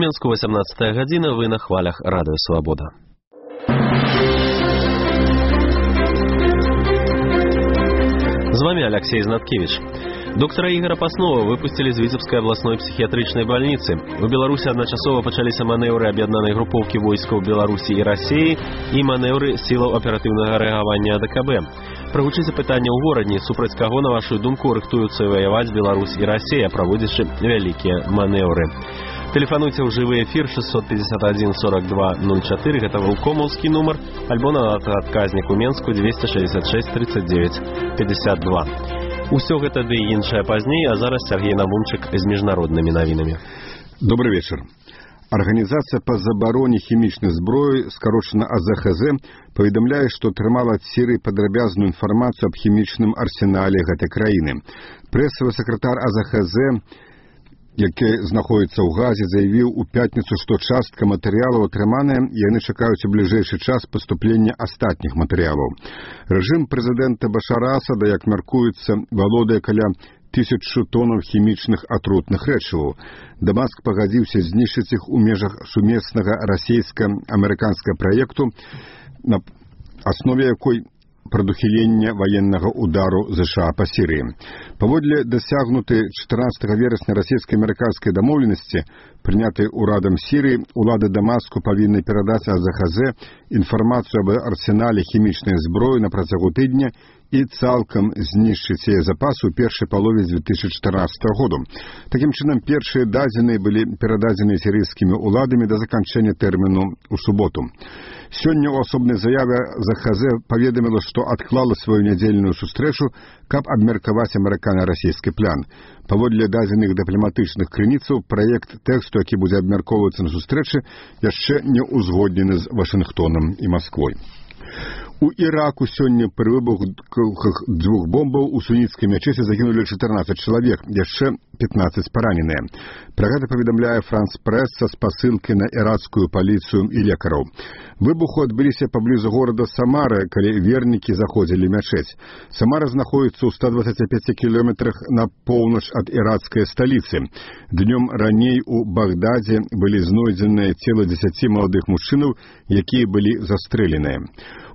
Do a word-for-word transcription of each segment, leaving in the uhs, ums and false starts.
Мінску васямнадцатая гадзіна, вы на хвалях Радыё Свабода. З вами Алексей Знаткевич. Доктора Ігора Паснова выпустили з Віцебскай абласной псіхіятрычнай бальніцы. У Беларусі адначасова пачаліся манеўры аб'яднанай групоўкі войскаў Беларусі і Расіі і манеўры сілаў аператыўнага рэагавання АДКБ. Прагучыце пытанне ў горадні, супраць каго, на вашу думку, рыхтуюцца ваяваць Беларусь і Расія, праводзячы вялікія манеўры. Тэлефануйце ў жывы эфір шестьсот пятьдесят один сорок два ноль четыре, гэта вулкомаўскі нумар, альбо на адказнік у Менску двести шестьдесят шесть тридцать девять пятьдесят два. Усё гэта ды і іншае пазней, а зараз Сергей Навумчык з міжнароднымі навінамі. Добрый вечер. Арганізацыя па забароне хімічнай зброі, скарочана А З Х З, паведамляе, што атрымала ад Сірыі падрабязную інфармацыю аб хімічным арсенале гэтай краіны. Прэсавы сакратар А З Х З, які знаходзіцца ў Газе, заявіў у пятніцу, што частка матэрыялаў атрыманая, і яны чакаюць у бліжэйшы час паступлення астатніх матэрыялаў. Рэжым прэзідэнта Башара Асада, як мяркуецца, валодае каля тысячу тонаў хімічных атрутных рэчываў. Дамаск пагадзіўся знішчыць іх у межах сумеснага расійска-амерыканскага праекту, на аснове якой прадухілення ваеннага удару ЗША па Сірыі. Паводле дасягнутай чатырнаццатага верасня расійска-амерыканскай дамоўленасці, прынятай урадам Сірыі, улады Дамаску павінны перадаць А З Х З інфармацыю аб арсенале хімічнай зброі на працягу тыдня і цалкам знішчыць яе запасы ў першай палове дзве тысячы чатырнаццатага году. Такім чынам, першыя дадзеныя былі перададзены сірыйскімі ўладамі да заканчэння тэрміну ў суботу. Сёння ў асобнай заяве А З Х З паведаміла, што адклала сваю нядзельную сустрэчу, каб абмеркаваць амерыкана-расійскі план. Паводле дадзеных дыпламатычных крыніцаў, праект тэксту, які будзе абмяркоўвацца на сустрэчы, яшчэ не ўзгоднены з Вашынгтонам і Масквой. У Іраку сёння пры выбухах дзвюх бомбаў у суніцкай мячэці загінулі чатырнаццаць чалавек, яшчэ пятнаццаць параненыя. Пра гэта паведамляе Франс Прэс са спасылкай на іракскую паліцыю і лекараў. Выбуху адбыліся паблізу горада Самара, калі вернікі заходзілі мячэць. Самара знаходзіцца ў ста дваццаці пяці кіламетрах на поўнач ад іракскай сталіцы. Днём раней у Багдадзе былі знойдзеныя цела дзесяці маладых мужчынаў, якія былі застрэленыя.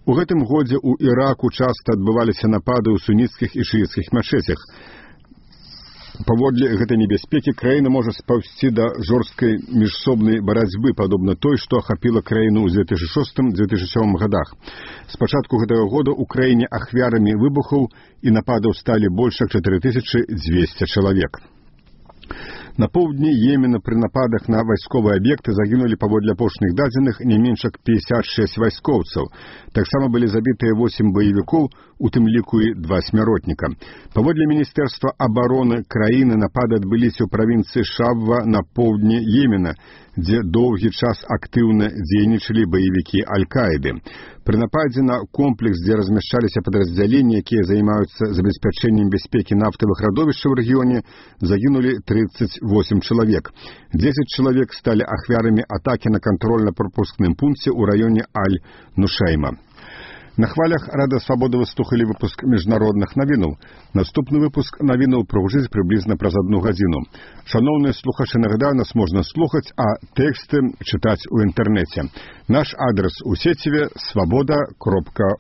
У гэтым годзе ў Іраку часта адбываліся напады ў суніцкіх і шыіцкіх мячэцях. Паводле гэтай небяспекі краіна можа спаўзці да жорсткай міжсобнай барацьбы, падобна той, што ахапіла краіну ў дзве тысячы шостым — дзве тысячы сёмым годах. З пачатку гэтага года ў краіне ахвярамі выбухаў і нападаў сталі больш як чатыры тысячы дзвесце чалавек. На поўдні Йемена пры нападах на вайсковыя аб'екты загінулі, паводле апошніх дадзеных, не менш як пятьдесят шесть вайскоўцаў. Таксама былі забітыя восемь баевікоў, у тым ліку і два смяротніка. Паводле Міністэрства абароны краіны, напады адбыліся ў правінцыі Шабва на поўдні Йемена, дзе доўгі час актыўна дзейнічалі баевікі Аль-Каіды. Пры нападзе на комплекс, дзе размяшчаліся падраздзяленні, якія займаюцца забеспячэннем бяспекі нафтавых радовішчаў у рэгіёне, загінулі тридцать восемь чалавек. десять чалавек сталі ахвярамі атакі на кантрольна-прапускным пункце ў раёне Аль-Нушайма. На хвалях Радыё Свабода вы слухалі выпуск міжнародных навінаў. Наступны выпуск навінаў прагучыць прыблізна праз адну гадзіну. Шаноўныя слухачы, нагадаю, нас можна слухаць, а тэксты чытаць у інтэрнэце. Наш адрес у сеціве свабода кропка